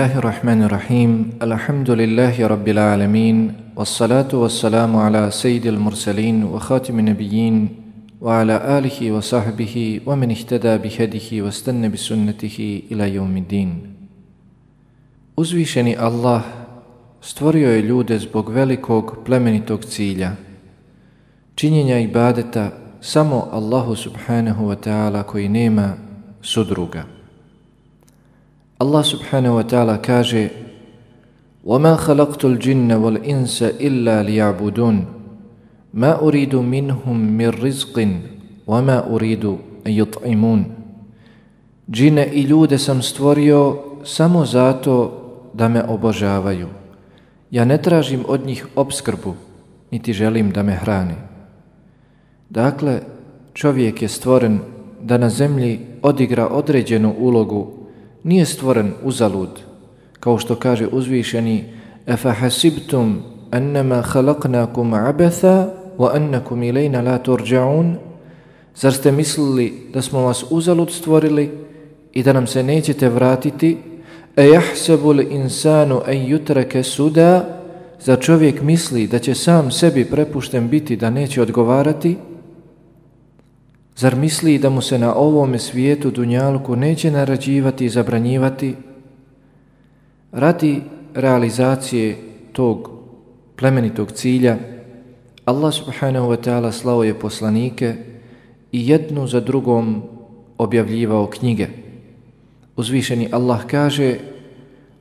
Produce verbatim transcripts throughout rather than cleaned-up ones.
Bismillahirrahmanirrahim. Alhamdulillahi rabbil alamin. Wassalatu wassalamu ala sayyidil mursalin wa khatimin nabiyyin wa ala alihi wa sahbihi wa man ihtada bihadihi wa stanna bi sunnatihi ila yawmiddin. Uzvišeni Allah stvorio je ljude zbog velikog plemenitog cilja, činjenja ibadeta samo Allahu subhanahu wa ta'ala koji nema sudruga. Allah subhanahu wa ta'ala kaže: وَمَا خَلَقْتُ الْجِنَّ وَالْإِنسَ إِلَّا لِيَعْبُدُونَ مَا أُرِيدُ مِنْهُمْ مِنْ رِزْقٍ وَمَا أُرِيدُ أَنْ يُطْعِمُونَ. Džine i ljude sam stvorio samo zato da me obožavaju. Ja ne tražim od njih opskrbu, niti želim da me hrane. Dakle, čovjek je stvoren da na zemlji odigra određenu ulogu, nije stvoren uzalud, kao što kaže uzvišeni: أَفَحَسِبْتُمْ أَنَّمَا خَلَقْنَاكُمْ عَبَثًا وَأَنَّكُمْ إِلَيْنَا لَا تُرْجَعُونَ. Zar ste mislili da smo vas uzalud stvorili i da nam se nećete vratiti? أَيَحْسَبُ الْإِنسَانُ أَنْ يُتْرَكَ سُدًا. Zar čovjek misli da će sam sebi prepušten biti, da neće odgovarati? Zar misli da mu se na ovome svijetu dunjaluku neće naređivati i zabranjivati? Radi realizacije tog plemenitog cilja, Allah subhanahu wa ta'ala slao je poslanike i jednu za drugom objavljivao knjige. Uzvišeni Allah kaže: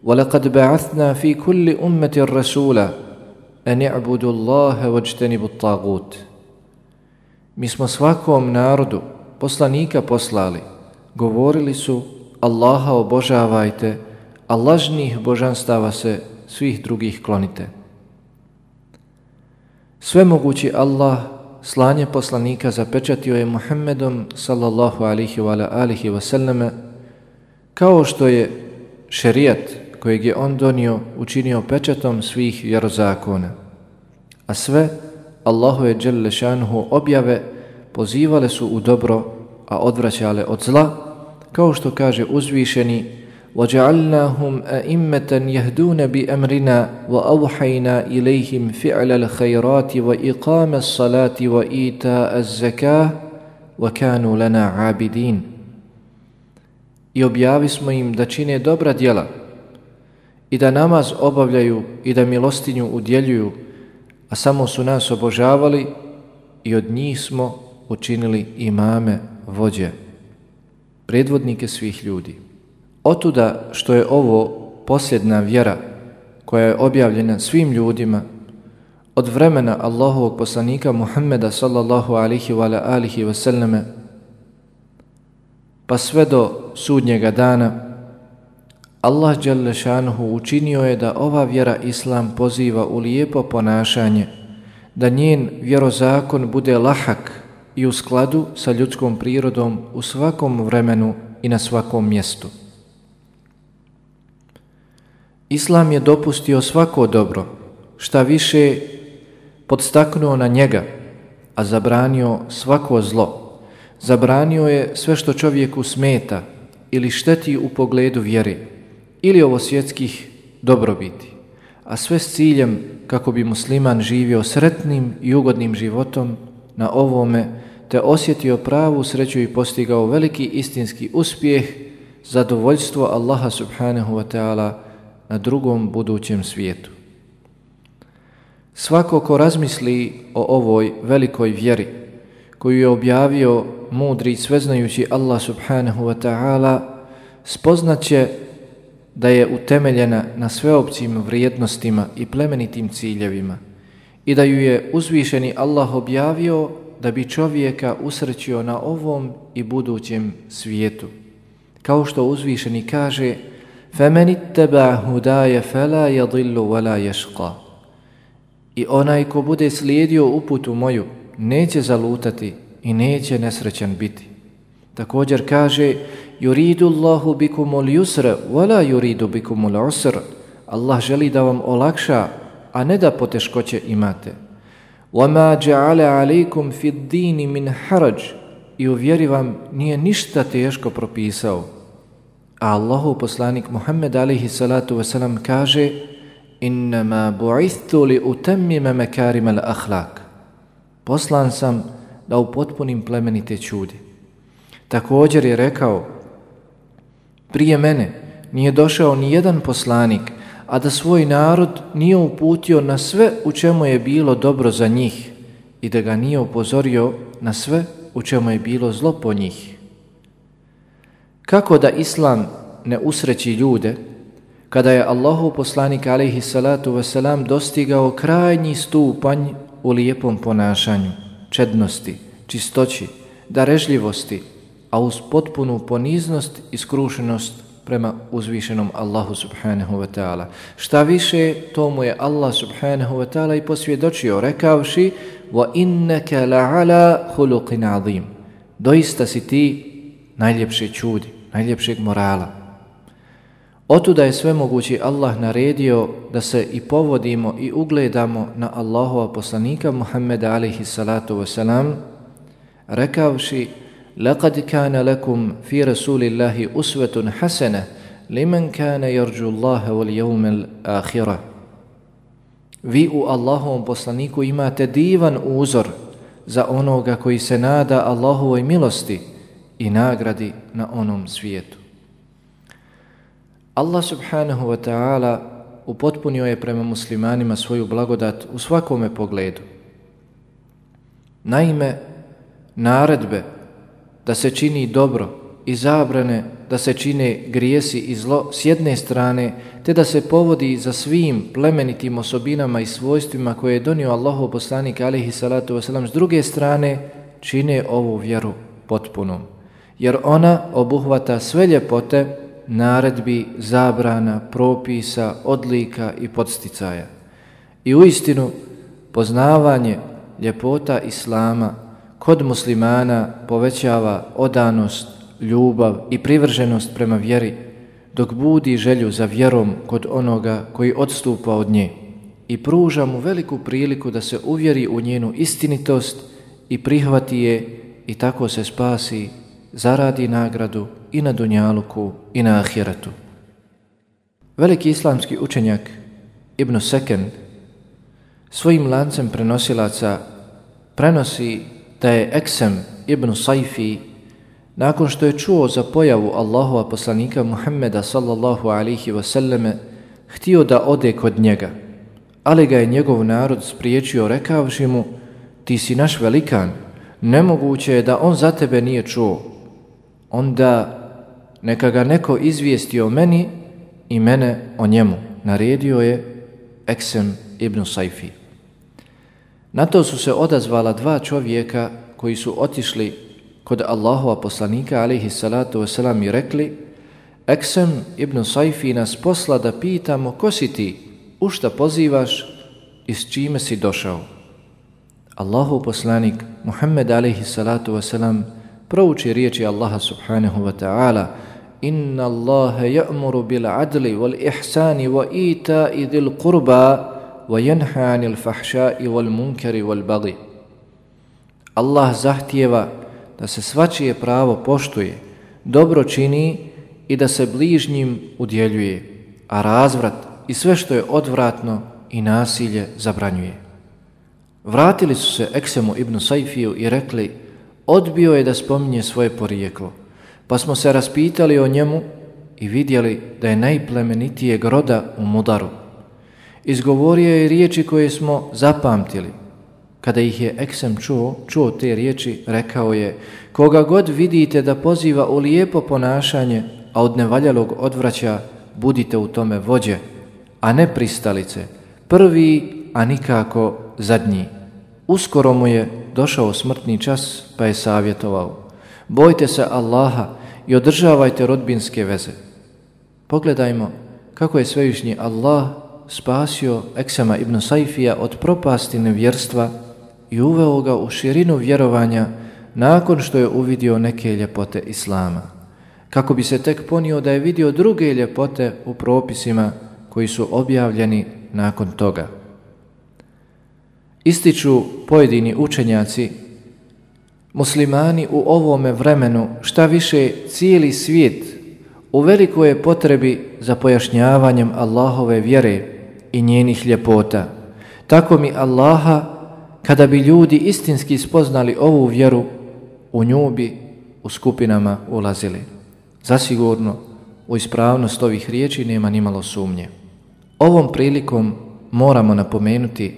وَلَقَدْ بَعَثْنَا فِي كُلِّ أُمَّةٍ رَسُولًا أَنِ اعْبُدُوا اللَّهَ وَاجْتَنِبُوا الطَّاغُوتَ. Mi smo svakom narodu poslanika poslali, govorili su: Allaha obožavajte, a lažnih božanstava se svih drugih klonite. Svemogući Allah slanje poslanika zapečatio je Muhammedom sallallahu alihi wa alihi wa sallame, kao što je šerijat kojeg je on donio učinio pečatom svih vjerozakona. A sve Allahove dželle šanuhu objave pozivale su u dobro, a odvraćale od zla, kao što kaže uzvišeni: وَجَعَلْنَاهُمْ أَئِمَّةً يَهْدُونَ بِأَمْرِنَا وَأَوْحَيْنَا إِلَيْهِمْ فِعْلَ الْخَيْرَاتِ وَإِقَامَ الصَّلَاةِ وَإِيتَاءَ الزَّكَاةِ وَكَانُوا لَنَا عَابِدِينَ. I objavi smo im da čine dobra djela i da namaz obavljaju i da milostinju udjeljuju, a samo su nas obožavali i od njih smo učinili imame, vođe, predvodnike svih ljudi. Otuda što je ovo posljedna vjera koja je objavljena svim ljudima od vremena Allahovog poslanika Muhammeda sallallahu alihi wa alihi wa sallame pa sve do sudnjega dana, Allah dželle šanuhu učinio je da ova vjera Islam poziva u lijepo ponašanje, da njen vjerozakon bude lahak i u skladu sa ljudskom prirodom u svakom vremenu i na svakom mjestu. Islam je dopustio svako dobro, šta više podstaknuo na njega, a zabranio svako zlo. Zabranio je sve što čovjeku smeta ili šteti u pogledu vjere ili ovosvjetskih dobrobiti, a sve s ciljem kako bi musliman živio sretnim i ugodnim životom na ovome, te osjetio pravu sreću i postigao veliki istinski uspjeh, zadovoljstvo Allaha subhanahu wa ta'ala na drugom budućem svijetu. Svako ko razmisli o ovoj velikoj vjeri koju je objavio mudri i sveznajući Allah subhanahu wa ta'ala, spoznaće da je utemeljena na sveopćim vrijednostima i plemenitim ciljevima i da ju je uzvišeni Allah objavio da bi čovjeka usrećio na ovom i budućem svijetu. Kao što uzvišeni kaže: فَمَنِ اتَّبَعَ هُدَايَ فَلَا يَضِلُّ وَلَا يَشْقَى. I onaj ko bude slijedio uputu moju neće zalutati i neće nesrećan biti. Također kaže: يُرِيدُ اللَّهُ بِكُمُ الْيُسْرَ وَلَا يُرِيدُ بِكُمُ الْعُسْرَ. Allah želi da vam olakša, a ne da poteškoće imate. وَمَا جَعَلَ عَلَيْكُمْ فِي الدِّينِ مِنْ حَرَجٍ. I u vjeri vam nije ništa teško propisao. A Allahov poslanik Muhammed alejhi salatu vesselam kaže: Innama bu'ithtu li utammima makarim al-akhlaq. Poslan sam da upotpunim plemenite čudi. Također je rekao: prije mene nije došao ni jedan poslanik, a da svoj narod nije uputio na sve u čemu je bilo dobro za njih i da ga nije upozorio na sve u čemu je bilo zlo po njih. Kako da Islam ne usreći ljude kada je Allahov poslanik alejhi salatu vesselam dostigao krajnji stupanj u lijepom ponašanju, čednosti, čistoći, darežljivosti, a uz potpunu poniznost i skrušenost prema uzvišenom Allahu subhanahu wa ta'ala. Šta više, to mu je Allah subhanahu wa ta'ala i posvjedočio rekavši: wa innaka la'ala khuluqin azim. Doista si ti najljepše čudi, najljepšeg morala. Otuda je svemogući Allah naredio da se i povodimo i ugledamo na Allahova poslanika Muhammeda alejhi salatu vesselam, rekavši: لقد كان لكم في رسول الله أسوة حسنة لمن كان يرجو الله واليوم الآخرة. Vi u Allahovom poslaniku imate divan uzor za onoga koji se nada Allahovoj milosti i nagradi na onom svijetu. Allah subhanahu wa ta'ala upotpunio je prema muslimanima svoju blagodat u svakome pogledu. Naime, naredbe da se čini dobro i zabrane da se čine grijesi i zlo s jedne strane, te da se povodi za svim plemenitim osobinama i svojstvima koje je donio Allahov poslanik alejhi salatu vesselam s druge strane, čine ovu vjeru potpunom, jer ona obuhvata sve ljepote naredbi, zabrana, propisa, odlika i podsticaja. I uistinu poznavanje ljepota Islama kod muslimana povećava odanost, ljubav i privrženost prema vjeri, dok budi želju za vjerom kod onoga koji odstupa od nje i pruža mu veliku priliku da se uvjeri u njenu istinitost i prihvati je i tako se spasi, zaradi nagradu i na dunjaluku i na ahiretu. Veliki islamski učenjak Ibn Seken svojim lancem prenosilaca prenosi da je Eksem ibn Sajfi, nakon što je čuo za pojavu Allahova poslanika Muhammeda sallallahu alaihi wasallame, htio da ode kod njega, ali ga je njegov narod spriječio rekavši mu: ti si naš velikan, nemoguće je da on za tebe nije čuo. Onda neka ga neko izvijesti o meni i mene o njemu, naredio je Eksem ibn Sajfi. Na to su se odazvala dva čovjeka koji su otišli kod Allahova poslanika alejhi salatu vesselam i rekli: Eksem ibn Sajfi nas posla da pitamo ko si ti, u šta pozivaš i s čime si došao. Allahov poslanik Muhammed alejhi salatu vesselam prouči riječi Allaha subhanahu wa ta'ala: Inna Allahe ja'muru bil adli wal ihsani wa ita'i dhil qurba wa yanha 'anil fahsha'i wal munkari wal baghi. Allah zahtijeva da se svačije pravo poštuje, dobro čini i da se bližnjim udjeljuje, a razvrat i sve što je odvratno i nasilje zabranjuje. Vratili su se Eksemu ibn Sajfiju i rekli: odbio je da spominje svoje porijeklo, pa smo se raspitali o njemu i vidjeli da je najplemenitijeg roda u Mudaru. Izgovorio je riječi koje smo zapamtili. Kada ih je Eksem čuo, čuo te riječi, rekao je: koga god vidite da poziva u lijepo ponašanje, a od nevaljalog odvraća, budite u tome vođe, a ne pristalice, prvi, a nikako zadnji. Uskoro mu je došao smrtni čas, pa je savjetovao: bojte se Allaha i održavajte rodbinske veze. Pogledajmo kako je svevišnji Allah spasio Eksema ibn Sajfija od propasti nevjerstva i uveo ga u širinu vjerovanja nakon što je uvidio neke ljepote Islama, kako bi se tek ponio da je vidio druge ljepote u propisima koji su objavljeni nakon toga. Ističu pojedini učenjaci, muslimani u ovome vremenu, šta više cijeli svijet, u velikoj je potrebi za pojašnjavanjem Allahove vjere i njenih ljepota. Tako mi Allaha, kada bi ljudi istinski spoznali ovu vjeru, u nju bi u skupinama ulazili. Zasigurno, u ispravnost ovih riječi nema nimalo sumnje. Ovom prilikom moramo napomenuti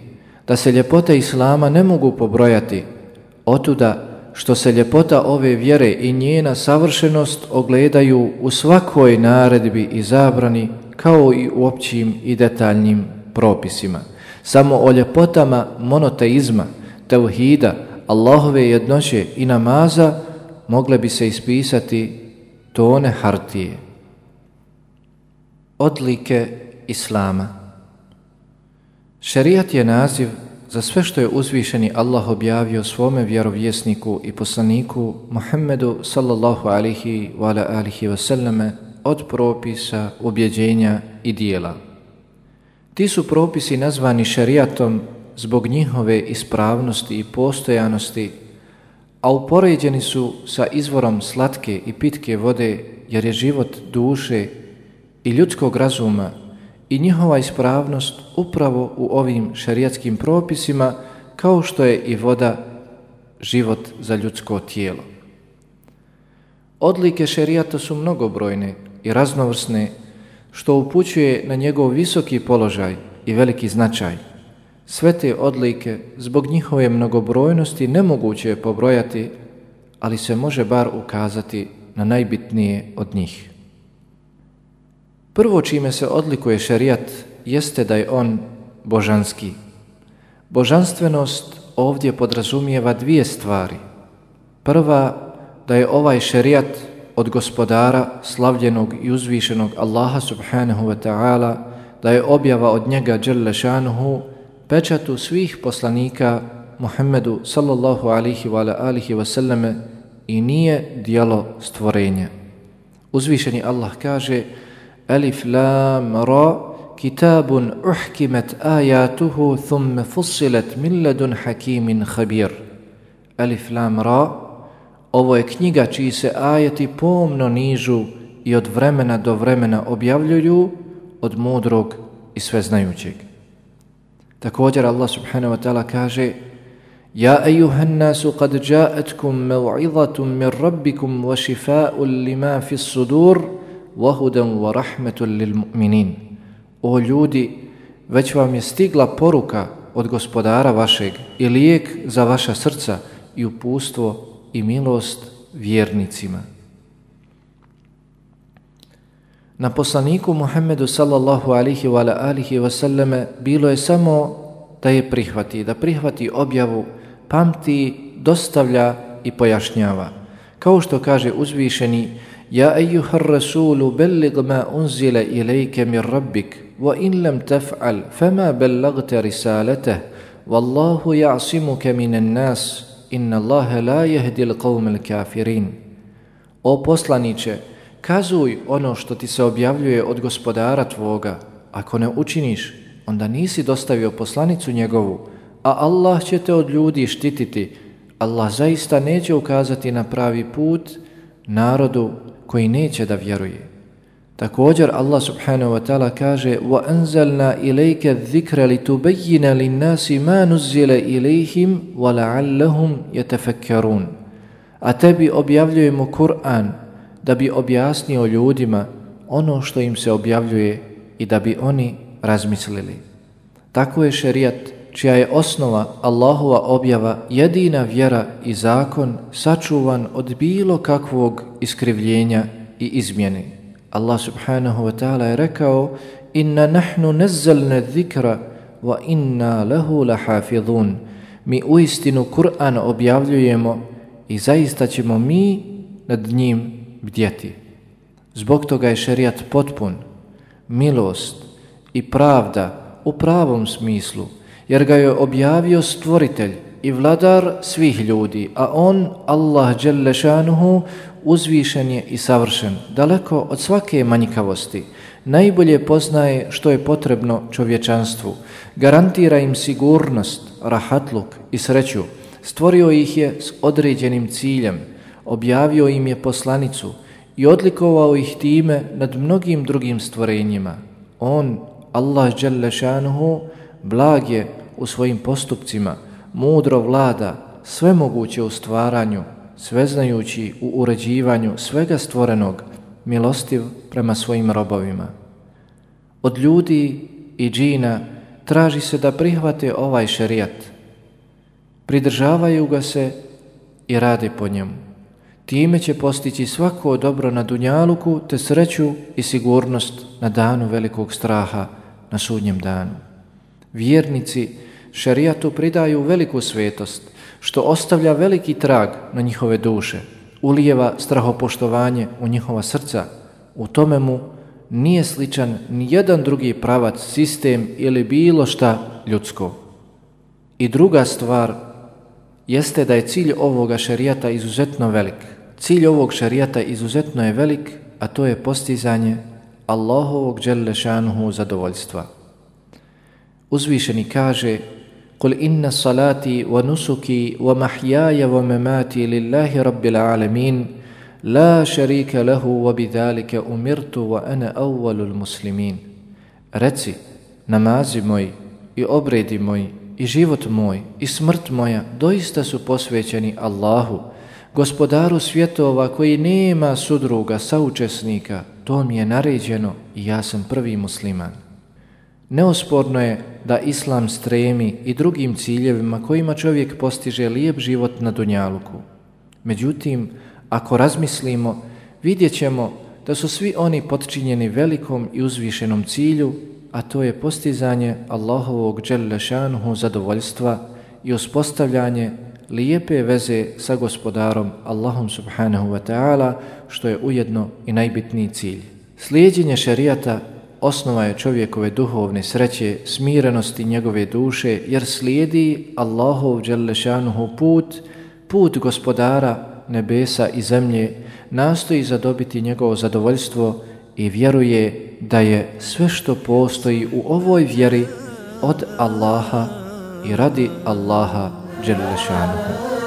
da se ljepote Islama ne mogu pobrojati, otuda što se ljepota ove vjere i njena savršenost ogledaju u svakoj naredbi i zabrani, kao i u općim i detaljnim propisima. Samo o ljepotama monoteizma, tevhida, Allahove jednoće i namaza mogle bi se ispisati tone hartije. Odlike Islama. Šerijat je naziv za sve što je uzvišeni Allah objavio svome vjerovjesniku i poslaniku Muhammedu sallallahu alihi wa ala alihi wasallame od propisa, ubjeđenja i dijela. Ti su propisi nazvani šerijatom zbog njihove ispravnosti i postojanosti, a upoređeni su sa izvorom slatke i pitke vode, jer je život duše i ljudskog razuma i njihova ispravnost upravo u ovim šerijatskim propisima, kao što je i voda život za ljudsko tijelo. Odlike šerijata su mnogobrojne i raznovrsne, što upućuje na njegov visoki položaj i veliki značaj. Sve te odlike, zbog njihove mnogobrojnosti, nemoguće je pobrojati, ali se može bar ukazati na najbitnije od njih. Prvo čime se odlikuje šerijat jeste da je on božanski. Božanstvenost ovdje podrazumijeva dvije stvari. Prva, da je ovaj šerijat od gospodara, slavljenog i uzvišenog Allaha subhanahu wa ta'ala, da je objava od njega dželle šanuhu, pečatu svih poslanika Muhammedu sallallahu alihi wa alihi wasallame i nije djelo stvorenja. Uzvišeni Allah kaže: Alif lam ra, kitabun uhkimet ajatuhu thumme fussilet min ladun hakimin khabir. Alif lam ra, ovo je knjiga čiji se ajeti pomno nižu i od vremena do vremena objavljuju od mudrog i sveznajućeg. Također Allah subhanahu wa ta'ala kaže: Ja ejuhan nasu qad ja'atkum mev'izatum min rabbikum wa šifa'un lima fis sudur wa hudan wa rahmetun lil mu'minin. O ljudi, već vam je stigla poruka od gospodara vašeg i lijek za vaša srca i uputstvo i milost vjernicima. Na poslaniku Muhammedu sallallahu alihi wa alihi wasallame bilo je samo da je prihvati, da prihvati objavu, pamti, dostavlja i pojašnjava. Kao što kaže uzvišeni: Ja ejuhar rasulu bellig ma unzile ilajke mir rabbik, wa in lam taf'al, fama bellagte risaleteh, wallahu ja'simuke minan nas, inna Allahe la jehdil qawmel kafirin. O poslaniće, kazuj ono što ti se objavljuje od gospodara tvoga. Ako ne učiniš, onda nisi dostavio poslanicu njegovu, a Allah će te od ljudi štititi. Allah zaista neće ukazati na pravi put narodu koji neće da vjeruje. Također Allah subhanahu wa ta'ala kaže: وَأَنزَلْنَا إِلَيْكَ الذِّكْرَ لِتُبَيِّنَ لِلنَّاسِ مَا نُزِّلَ إِلَيْهِمْ وَلَعَلَّهُمْ يَتَفَكَّرُونَ. A tebi objavljujemo Kur'an da bi objasnio ljudima ono što im se objavljuje i da bi oni razmislili. Tako je šerijat, čija je osnova Allahova objava, jedina vjera i zakon, sačuvan od bilo kakvog iskrivljenja i izmjene. Allah subhanahu wa ta'ala je rekao: Inna nahnu nazzalna dhikra wa inna lahu lahafidhun. Mi uistinu Kur'an objavljujemo i zaista ćemo mi nad njim bdjeti. Zbog toga je šerijat potpun, milost i pravda u pravom smislu, jer ga je objavio stvoritelj i vladar svih ljudi, a on, Allah dželle šanuhu, uzvišen je i savršen, daleko od svake manjkavosti. Najbolje poznaje što je potrebno čovječanstvu, garantira im sigurnost, rahatluk i sreću, stvorio ih je s određenim ciljem, objavio im je poslanicu i odlikovao ih time nad mnogim drugim stvorenjima. On, Allah dželle šanuhu, blag je u svojim postupcima, mudro vlada, svemoguće u stvaranju, sveznajući u uređivanju svega stvorenog, milostiv prema svojim robovima. Od ljudi i džina traži se da prihvate ovaj šerijat, pridržavaju ga se i rade po njemu. Time će postići svako dobro na dunjaluku, te sreću i sigurnost na danu velikog straha, na sudnjem danu. Vjernici šerijatu pridaju veliku svetost, što ostavlja veliki trag na njihove duše, ulijeva strahopoštovanje u njihova srca. U tome mu nije sličan ni jedan drugi pravac, sistem ili bilo šta ljudsko. I druga stvar jeste da je cilj ovoga šerijata izuzetno velik. Cilj ovog šerijata izuzetno je velik, a to je postizanje Allahovog dželle šanuhu zadovoljstva. Uzvišeni kaže: Kul inna salati wa nusuki wa mahjaja wa mamati lillahi rabbil alamin la sharika lahu wa bidhalika umirtu wa ana awwalul muslimin. Reci, namazi moji i obredi moji i život moj i smrt moja doista su posvećeni Allahu, gospodaru svjetova koji nema sudruga, saučesnika. To mi je naređeno i ja sam prvi musliman. Neosporno je da Islam stremi i drugim ciljevima kojima čovjek postiže lijep život na dunjaluku. Međutim, ako razmislimo, vidjet ćemo da su svi oni potčinjeni velikom i uzvišenom cilju, a to je postizanje Allahovog dželle šanuhu zadovoljstva i uspostavljanje lijepe veze sa gospodarom Allahom subhanahu wa ta'ala, što je ujedno i najbitniji cilj. Slijeđenje šerijata osnova je čovjekove duhovne sreće, smirenosti njegove duše, jer slijedi Allahov dželle šanuhu put, put gospodara nebesa i zemlje, nastoji zadobiti njegovo zadovoljstvo i vjeruje da je sve što postoji u ovoj vjeri od Allaha i radi Allaha dželle šanuhu.